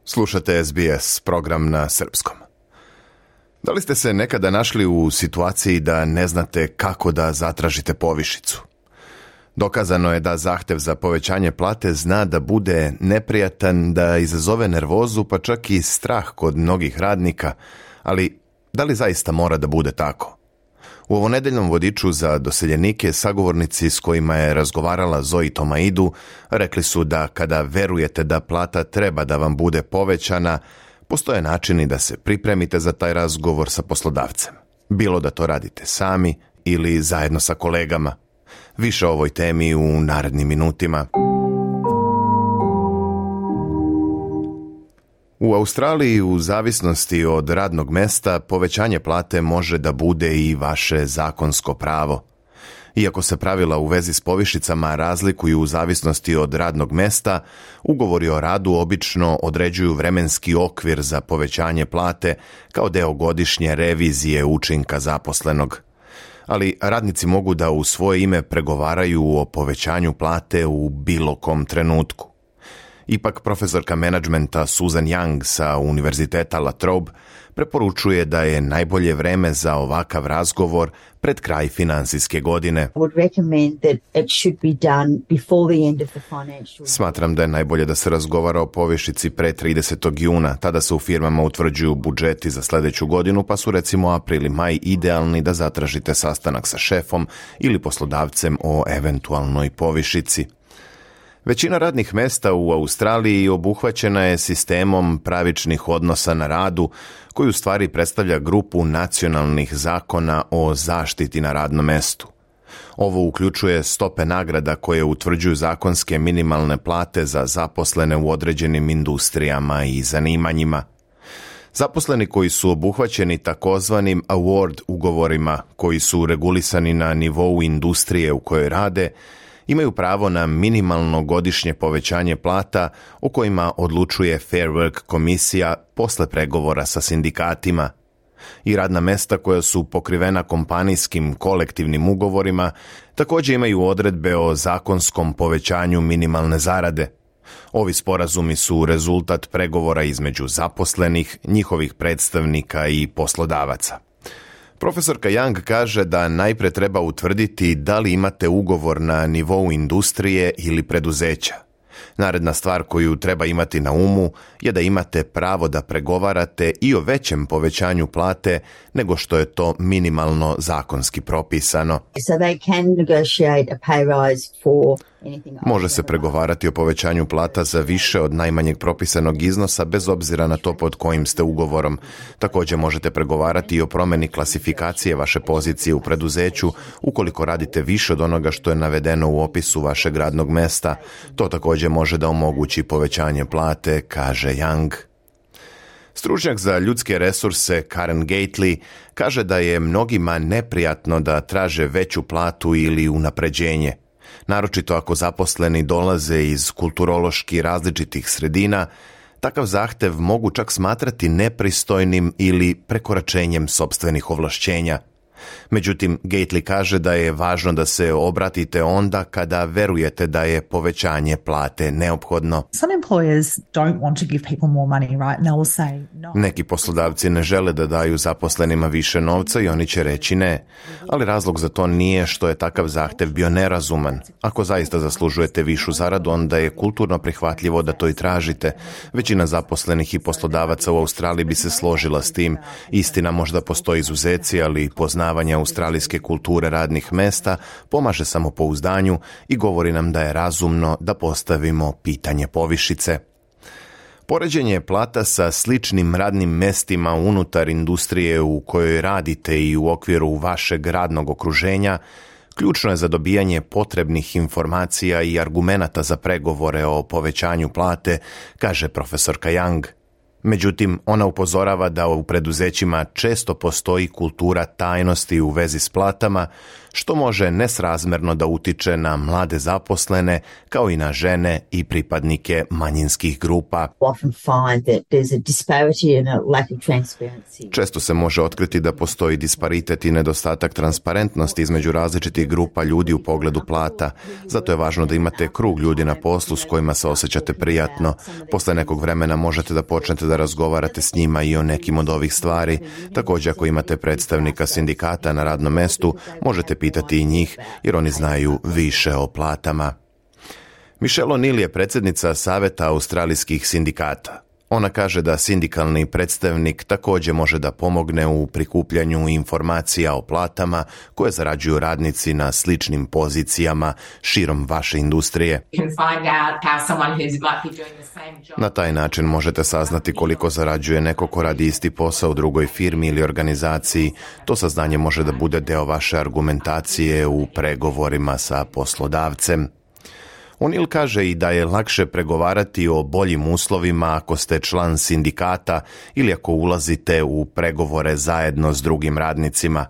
Slušate SBS, program na srpskom. Da li ste se nekada našli u situaciji da ne znate kako da zatražite povišicu? Dokazano je da zahtev za povećanje plate zna da bude neprijatan, da izazove nervozu, pa čak i strah kod mnogih radnika, ali da li zaista mora da bude tako? U ovonedeljnom vodiču za doseljenike sagovornici s kojima je razgovarala Zoe Tomaidu rekli su da kada verujete da plata treba da vam bude povećana, postoje načini da se pripremite za taj razgovor sa poslodavcem. Bilo da to radite sami ili zajedno sa kolegama. Više o ovoj temi u narednim minutima. U Australiji, u zavisnosti od radnog mesta, povećanje plate može da bude i vaše zakonsko pravo. Iako se pravila u vezi s povišicama razlikuju u zavisnosti od radnog mesta, ugovori o radu obično određuju vremenski okvir za povećanje plate kao deo godišnje revizije učinka zaposlenog. Ali radnici mogu da u svoje ime pregovaraju o povećanju plate u bilo kom trenutku. Ipak profesorka menadžmenta Susan Young sa Univerziteta La Trobe preporučuje da je najbolje vreme za ovakav razgovor pred kraj finansijske godine. Smatram da je najbolje da se razgovara o povišici pre 30. juna. Tada se u firmama utvrđuju budžeti za sljedeću godinu, pa su recimo april i maj idealni da zatražite sastanak sa šefom ili poslodavcem o eventualnoj povišici. Većina radnih mesta u Australiji obuhvaćena je sistemom pravičnih odnosa na radu, koji u stvari predstavlja grupu nacionalnih zakona o zaštiti na radnom mestu. Ovo uključuje stope nagrada koje utvrđuju zakonske minimalne plate za zaposlene u određenim industrijama i zanimanjima. Zaposleni koji su obuhvaćeni takozvanim award ugovorima, koji su regulisani na nivou industrije u kojoj rade, imaju pravo na minimalno godišnje povećanje plata o kojima odlučuje Fair Work komisija posle pregovora sa sindikatima. I radna mesta koja su pokrivena kompanijskim kolektivnim ugovorima također imaju odredbe o zakonskom povećanju minimalne zarade. Ovi sporazumi su rezultat pregovora između zaposlenih, njihovih predstavnika i poslodavaca. Profesorka Young kaže da najpre treba utvrditi da li imate ugovor na nivou industrije ili preduzeća. Naredna stvar koju treba imati na umu je da imate pravo da pregovarate i o većem povećanju plate nego što je to minimalno zakonski propisano. Može se pregovarati o povećanju plata za više od najmanjeg propisanog iznosa bez obzira na to pod kojim ste ugovorom. Također možete pregovarati i o promjeni klasifikacije vaše pozicije u preduzeću ukoliko radite više od onoga što je navedeno u opisu vašeg radnog mesta. To također može da omogući povećanje plate, kaže Young. Stručnjak za ljudske resurse Karen Gately kaže da je mnogima neprijatno da traže veću platu ili unapređenje. Naročito ako zaposleni dolaze iz kulturološki različitih sredina, takav zahtev mogu čak smatrati nepristojnim ili prekoračenjem sopstvenih ovlašćenja. Međutim, Gately kaže da je važno da se obratite onda kada verujete da je povećanje plate neophodno. Neki poslodavci ne žele da daju zaposlenima više novca i oni će reći ne, ali razlog za to nije što je takav zahtev bio nerazuman. Ako zaista zaslužujete višu zaradu, onda je kulturno prihvatljivo da to i tražite. Većina zaposlenih i poslodavaca u Australiji bi se složila s tim. Istina, možda postoji izuzeci, ali poznavanje australijske kulture radnih mesta pomaže samopouzdanju i govori nam da je razumno da postavimo pitanje povišice. Poređenje plata sa sličnim radnim mestima unutar industrije u kojoj radite i u okviru vašeg radnog okruženja ključno je za dobijanje potrebnih informacija i argumenata za pregovore o povećanju plate, kaže profesorka Young. Međutim, ona upozorava da u preduzećima često postoji kultura tajnosti u vezi s platama, što može nesrazmerno da utiče na mlade zaposlene, kao i na žene i pripadnike manjinskih grupa. Često se može otkriti da postoji disparitet i nedostatak transparentnosti između različitih grupa ljudi u pogledu plata. Zato je važno da imate krug ljudi na poslu s kojima se osjećate prijatno. Posle nekog vremena možete da počnete da razgovarate s njima i o nekim od ovih stvari. Također, ako imate predstavnika sindikata na radnom mestu, možete pitati i njih, jer oni znaju više o platama. Michelle O'Neill je predsjednica Saveta australijskih sindikata. Ona kaže da sindikalni predstavnik također može da pomogne u prikupljanju informacija o platama koje zarađuju radnici na sličnim pozicijama širom vaše industrije. Na taj način možete saznati koliko zarađuje neko ko radi isti posao u drugoj firmi ili organizaciji. To saznanje može da bude deo vaše argumentacije u pregovorima sa poslodavcem. O'Neill kaže i da je lakše pregovarati o boljim uslovima ako ste član sindikata ili ako ulazite u pregovore zajedno s drugim radnicima.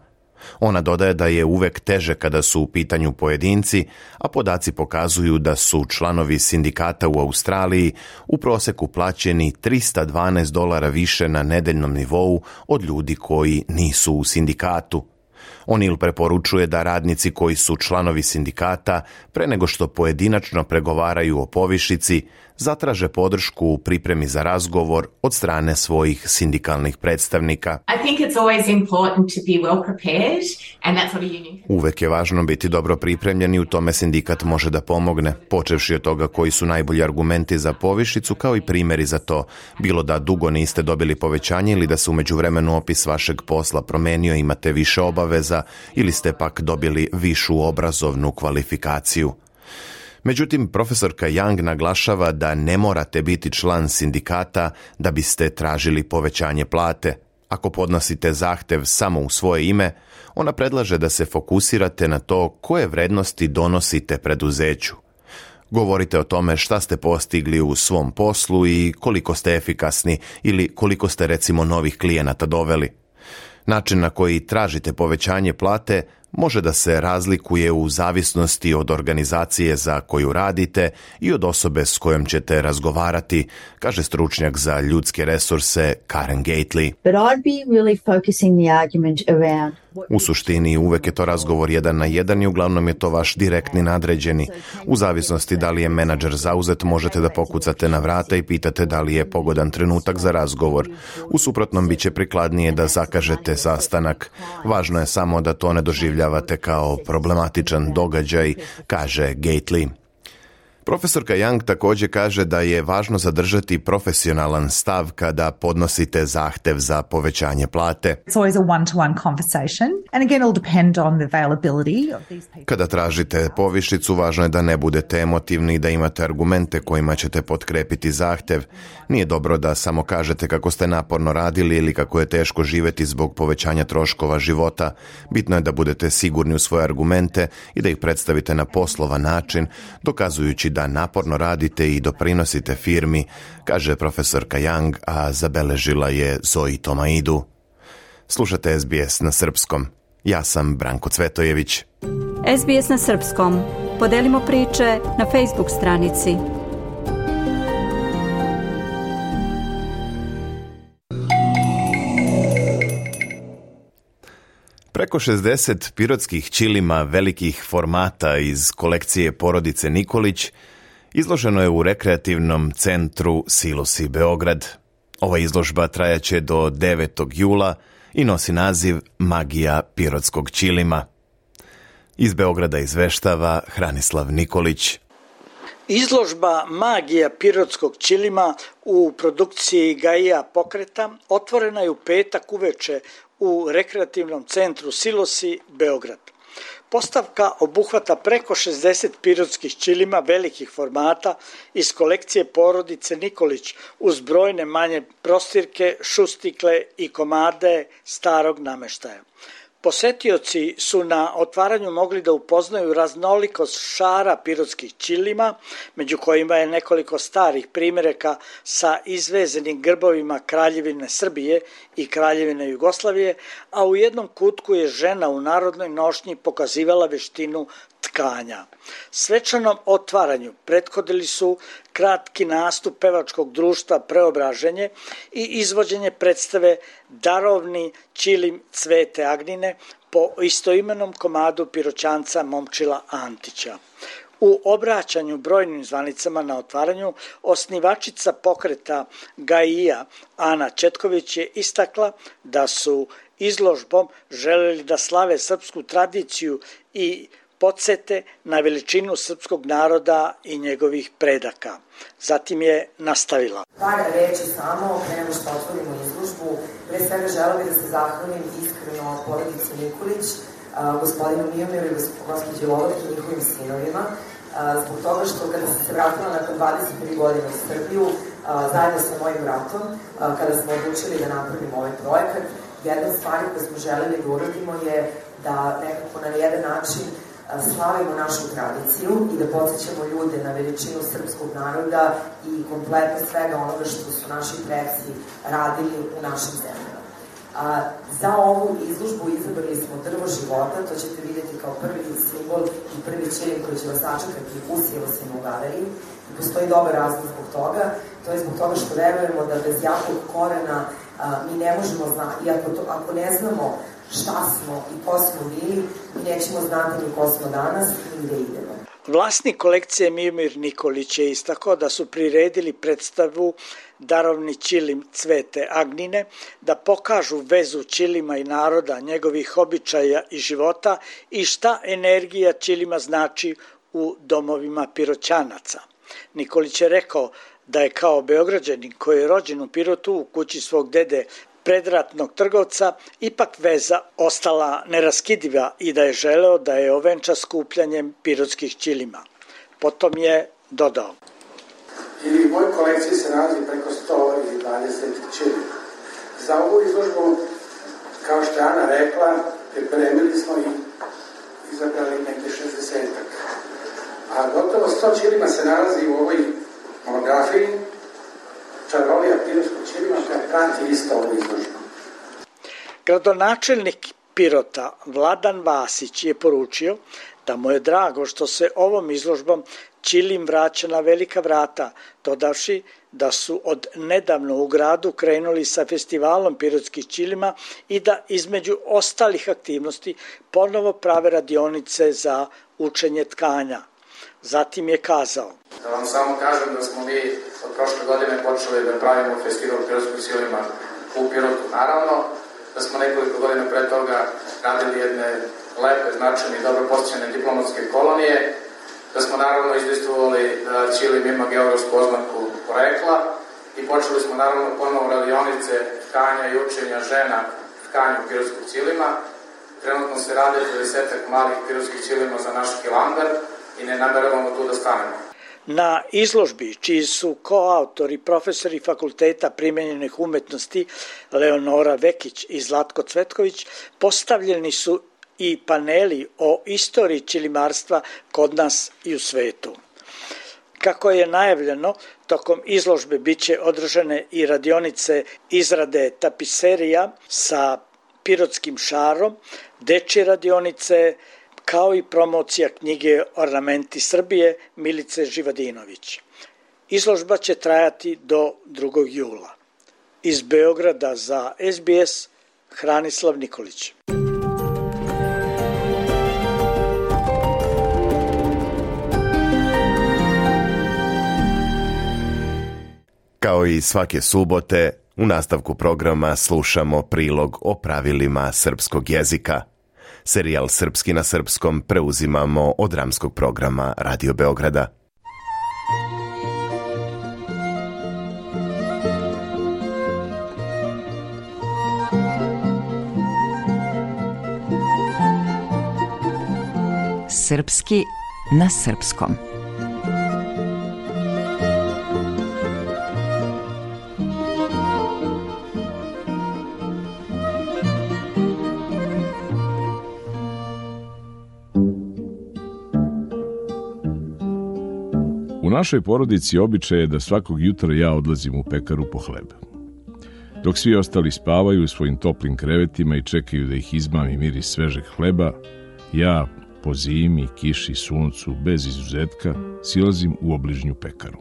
Ona dodaje da je uvek teže kada su u pitanju pojedinci, a podaci pokazuju da su članovi sindikata u Australiji u proseku plaćeni $312 više na nedeljnom nivou od ljudi koji nisu u sindikatu. O'Neill preporučuje da radnici koji su članovi sindikata, pre nego što pojedinačno pregovaraju o povišici, zatraže podršku u pripremi za razgovor od strane svojih sindikalnih predstavnika. Uvek je važno biti dobro pripremljen i u tome sindikat može da pomogne, počevši od toga koji su najbolji argumenti za povišicu, kao i primjeri za to, bilo da dugo niste dobili povećanje ili da se u međuvremenu opis vašeg posla promenio, imate više obaveza ili ste pak dobili višu obrazovnu kvalifikaciju. Međutim, profesorka Young naglašava da ne morate biti član sindikata da biste tražili povećanje plate. Ako podnosite zahtev samo u svoje ime, ona predlaže da se fokusirate na to koje vrednosti donosite preduzeću. Govorite o tome šta ste postigli u svom poslu i koliko ste efikasni ili koliko ste recimo novih klijenata doveli. Način na koji tražite povećanje plate može da se razlikuje u zavisnosti od organizacije za koju radite i od osobe s kojom ćete razgovarati, kaže stručnjak za ljudske resurse Karen Gately. U suštini uvek je to razgovor 1 na 1 i uglavnom je to vaš direktni nadređeni. U zavisnosti da li je menadžer zauzet, možete da pokucate na vrata i pitate da li je pogodan trenutak za razgovor. U suprotnom biće prikladnije da zakažete sastanak. Važno je samo da to ne doživljavate kao problematičan događaj, kaže Gately. Profesorka Young također kaže da je važno zadržati profesionalan stav kada podnosite zahtev za povećanje plate. Kada tražite povišicu, važno je da ne budete emotivni i da imate argumente kojima ćete potkrepiti zahtev. Nije dobro da samo kažete kako ste naporno radili ili kako je teško živjeti zbog povećanja troškova života. Bitno je da budete sigurni u svoje argumente i da ih predstavite na poslovan način, dokazujući da naporno radite i doprinosite firmi, kaže profesorka Young, a zabeležila je Zoji Tomaidu. Slušate SBS na srpskom. Ja sam Branko Cvetojević. SBS na srpskom. Podelimo priče na Facebook stranici. Preko 60 pirotskih ćilima velikih formata iz kolekcije porodice Nikolić izloženo je u rekreativnom centru Silosi Beograd. Ova izložba trajaće do 9. jula i nosi naziv Magija pirotskog ćilima. Iz Beograda izveštava Hranislav Nikolić. Izložba Magija pirotskog ćilima u produkciji Gaia Pokreta otvorena je u petak uveče u rekreativnom centru Silosi Beograd. Postavka obuhvata preko 60 pirotskih ćilima velikih formata iz kolekcije porodice Nikolić uz brojne manje prostirke, šustikle i komade starog nameštaja. Posetioci su na otvaranju mogli da upoznaju raznolikost šara pirotskih ćilima, među kojima je nekoliko starih primjeraka sa izvezenim grbovima Kraljevine Srbije i Kraljevine Jugoslavije, a u jednom kutku je žena u narodnoj nošnji pokazivala veštinu tkanja. Svečanom otvaranju prethodili su kratki nastup pevačkog društva Preobraženje i izvođenje predstave Darovni ćilim Cvete Agnine po istoimenom komadu Piroćanca Momčila Antića. U obraćanju brojnim zvanicama na otvaranju, osnivačica pokreta Gaia Ana Četković je istakla da su izložbom želeli da slave srpsku tradiciju i podsete na veličinu srpskog naroda i njegovih predaka. Zatim je nastavila. Par reći samo, pre nego što otvorimo izložbu, pre svega želela bih da se zahvalim iskreno porodici Nikolić, gospodinu Mijomiru i gospođi Lovati i njihovim sinovima, zbog toga što kada sam se vratila nakon 23 godine u Srbiju, zajedno sa mojim bratom, kada smo odlučili da napravimo ovaj projekat, jedna od stvari koje smo želeli da uradimo je da nekako na jedan način slavimo našu tradiciju i da podsjećamo ljude na veličinu srpskog naroda i kompletno svega onoga što su naši preci radili u našim zemljama. Za ovu izložbu izabrali smo drvo života, to ćete vidjeti kao prvi simbol i prvi ćilim koji će vas sačekati u Silosima u galeriji. I postoji dobar razlog zbog toga, to je zbog toga što verujemo da bez jakog korena mi ne možemo znati, i ako ne znamo šta smo i ko smo bili, mi nećemo znati ni ko smo danas i gde idemo. Vlasnik kolekcije Mijomir Nikolić je istakao da su priredili predstavu Darovni ćilim Cvete Agnine, da pokažu vezu ćilima i naroda, njegovih običaja i života i šta energija ćilima znači u domovima Piroćanaca. Nikolić je rekao da je kao Beograđanin koji je rođen u Pirotu u kući svog dede predratnog trgovca, ipak veza ostala neraskidiva i da je želeo da je ovenča skupljanjem pirotskih ćilima. Potom je dodao. I u mojoj kolekciji se nalazi preko 120 ćilima. Za ovu izložbu, kao što je Ana rekla, pripremili smo i izabrali neke 60-ak. A gotovo 100 ćilima se nalazi u ovoj monografiji Čarolija pirotskog ćilima koja prati isto ovu izložbu. Gradonačelnik Pirota Vladan Vasić je poručio da mu je drago što se ovom izložbom ćilim vraća na velika vrata, dodavši da su od nedavno u gradu krenuli sa festivalom pirotskih ćilima i da između ostalih aktivnosti ponovo prave radionice za učenje tkanja. Zatim je kazao. Da vam samo kažem da smo mi od prošle godine počeli da pravimo festival pirotskog ćilima u Pirotu. Naravno da smo nekoliko godina pre toga radili jedne lepe, značajne i dobro posjećene diplomatske kolonije da smo naravno izdejstvovali da ćilim ima geografsku oznaku porekla i počeli smo naravno ponovo radionice tkanja i učenja žena tkanju pirotskog ćilima. Trenutno se rade 20 malih pirotskih ćilima za naš Hilandar i ne nameravamo tu da stanemo. Na izložbi, čiji su koautori profesori Fakulteta primenjenih umetnosti Leonora Vekić i Zlatko Cvetković, postavljeni su i paneli o istoriji ćilimarstva kod nas i u svetu. Kako je najavljeno, tokom izložbe biće održane i radionice izrade tapiserija sa pirotskim šarom, dečje radionice, kao i promocija knjige Ornamenti Srbije Milice Živadinović. Izložba će trajati do 2. jula. Iz Beograda za SBS, Hranislav Nikolić. Kao i svake subote, u nastavku programa slušamo prilog o pravilima srpskog jezika. Serijal Srpski na srpskom preuzimamo od dramskog programa Radio Beograda. Srpski na srpskom. U našoj porodici običaj je da svakog jutra ja odlazim u pekaru po hleb. Dok svi ostali spavaju u svojim toplim krevetima i čekaju da ih izmami miris svežeg hleba, ja po zimi, kiši, suncu, bez izuzetka, silazim u obližnju pekaru.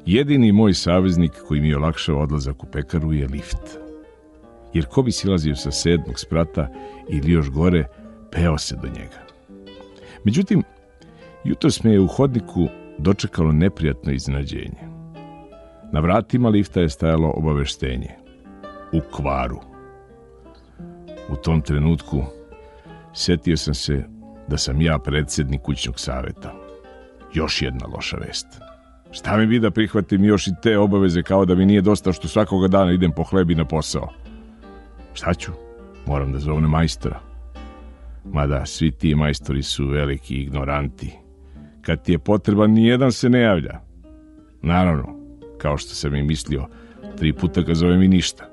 Jedini moj saveznik koji mi olakšava odlazak u pekaru je lift. Jer ko bi silazio sa 7. sprata ili još gore, peo se do njega. Međutim, jutros me je u hodniku dočekalo neprijatno iznenađenje. Na vratima lifta je stajalo obaveštenje. U kvaru. U tom trenutku setio sam se da sam ja predsjednik kućnog saveta. Još jedna loša vest. Šta mi bi da prihvatim još i te obaveze kao da mi nije dosta što svakoga dana idem po hlebi na posao? Šta ću? Moram da zovem majstora. Mada svi ti majstori su veliki ignoranti. Kad ti je potreban, nijedan se ne javlja. Naravno, kao što sam i mislio, 3 puta ga zovem i ništa.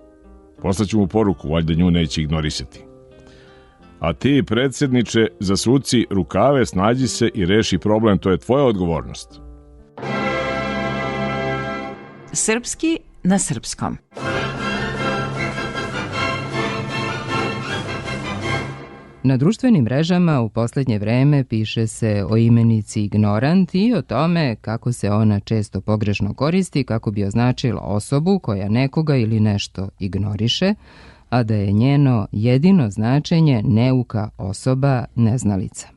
Poslaću mu poruku, valjda nju neće ignorisati. A ti, predsjedniče, zasuci rukave, snađi se i reši problem, to je tvoja odgovornost. Srpski na srpskom. Na društvenim mrežama u posljednje vreme piše se o imenici ignorant i o tome kako se ona često pogrešno koristi kako bi označila osobu koja nekoga ili nešto ignoriše, a da je njeno jedino značenje neuka osoba, neznalica.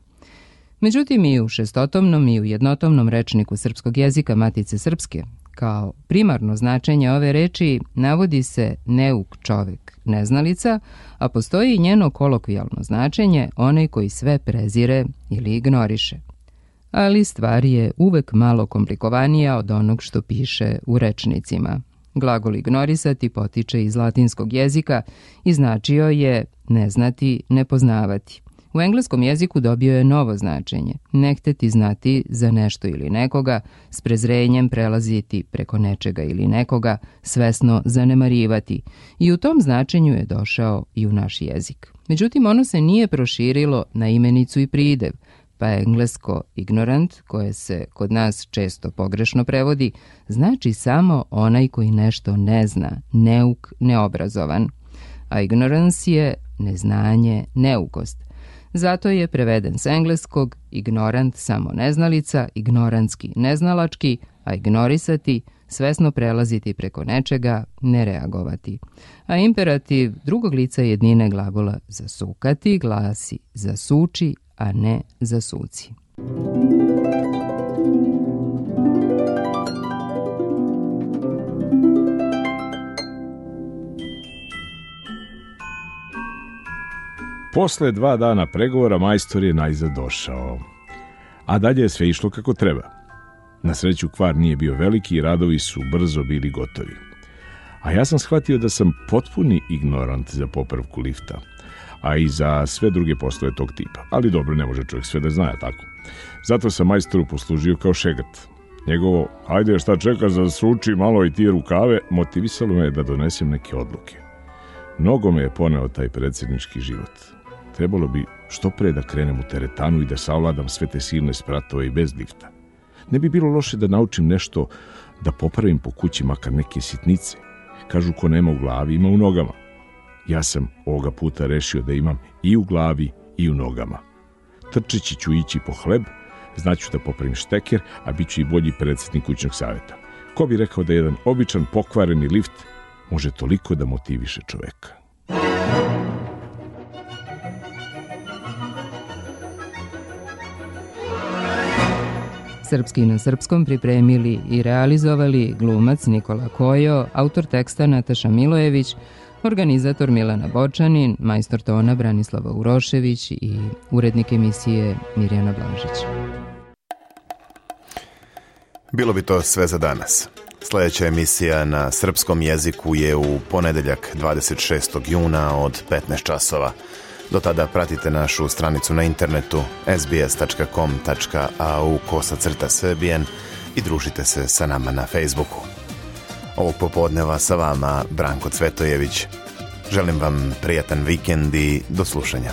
Međutim, i u šestotomnom i u jednotomnom rečniku srpskog jezika Matice Srpske, kao primarno značenje ove reči navodi se neuk čovek, neznalica, a postoji i njeno kolokvijalno značenje, onaj koji sve prezire ili ignoriše. Ali stvar je uvek malo komplikovanija od onog što piše u rečnicima. Glagol ignorisati potiče iz latinskog jezika i značio je neznati, nepoznavati. U engleskom jeziku dobio je novo značenje, ne hteti znati za nešto ili nekoga, s prezrenjem prelaziti preko nečega ili nekoga, svesno zanemarivati. I u tom značenju je došao i u naš jezik. Međutim, ono se nije proširilo na imenicu i pridev, pa englesko ignorant, koje se kod nas često pogrešno prevodi, znači samo onaj koji nešto ne zna, neuk, neobrazovan. A ignorance je neznanje, neukost. Zato je preveden s engleskog ignorant samo neznalica, ignorantski neznalački, a ignorisati svesno prelaziti preko nečega, ne reagovati. A imperativ drugog lica jednine glagola zasukati glasi zasuči, a ne zasuci. Posle 2 dana pregovora majstor je najzad došao. a dalje je sve išlo kako treba. Na sreću kvar nije bio veliki i radovi su brzo bili gotovi. A ja sam shvatio da sam potpuni ignorant za popravku lifta, a i za sve druge poslove tog tipa. Ali dobro, ne može čovjek sve da zna, tako. Zato sam majstoru poslužio kao šegat. Njegovo, ajde šta čekaš da sruči malo i ti rukave, motivisalo me da donesem neke odluke. Mnogo me je poneo taj predsjednički život. Trebalo bi što pre da krenem u teretanu i da savladam sve te silne spratove i bez lifta. Ne bi bilo loše da naučim nešto, da popravim po kući makar neke sitnice. Kažu ko nema u glavi, ima u nogama. Ja sam ovoga puta rešio da imam i u glavi i u nogama. Trčeći ću ići po hleb, znaću da popravim šteker, a bit ću i bolji predsjednik kućnog savjeta. Ko bi rekao da jedan običan pokvareni lift može toliko da motiviše čoveka? Srpski na srpskom pripremili i realizovali glumac Nikola Kojo, autor teksta Nataša Milojević, organizator Milana Bočanin, majstor tona Branislava Urošević i urednik emisije Mirjana Blažić. Bilo bi to sve za danas. Sljedeća emisija na srpskom jeziku je u ponedeljak 26. juna od 15 časova. Do tada pratite našu stranicu na internetu sbs.com.au/Serbian i družite se sa nama na Facebooku. Ovog popodneva sa vama Branko Cvetojević. Želim vam prijatan vikend i do slušanja.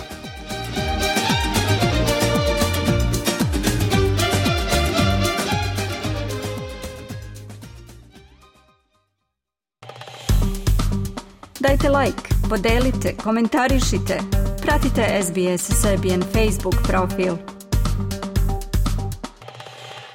Dajte like, podelite, komentarišite. Pratite SBS Serbian Facebook profil.